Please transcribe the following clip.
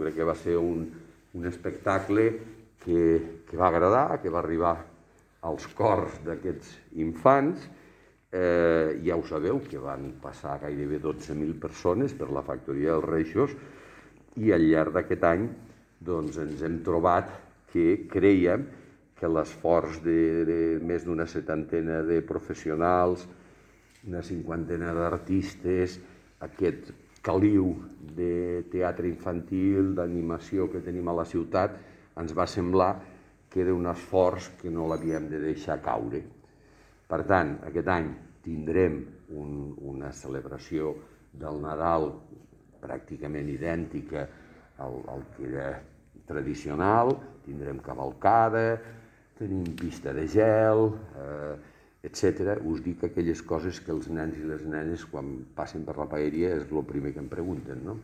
crec que va ser un espectacle que va agradar, que va arribar als cors d'aquests infants. Ja ho sabeu, que van passar gairebé 12.000 persones per la factoria dels Reixos, i al llarg d'aquest any ens hem trobat que creiem que l'esforç de més d'una setantena de professionals, una cinquantena d'artistes, aquest caliu de teatre infantil, d'animació que tenim a la ciutat, ens va semblar que era un esforç que no l'havíem de deixar caure. Per tant, aquest any tindrem una celebració del Nadal pràcticament idèntica al que era tradicional, tindrem cavalcada, tenim pista de gel, etc. Us dic aquelles coses que els nens i les nenes quan passen per la paeria és el primer que em pregunten, no?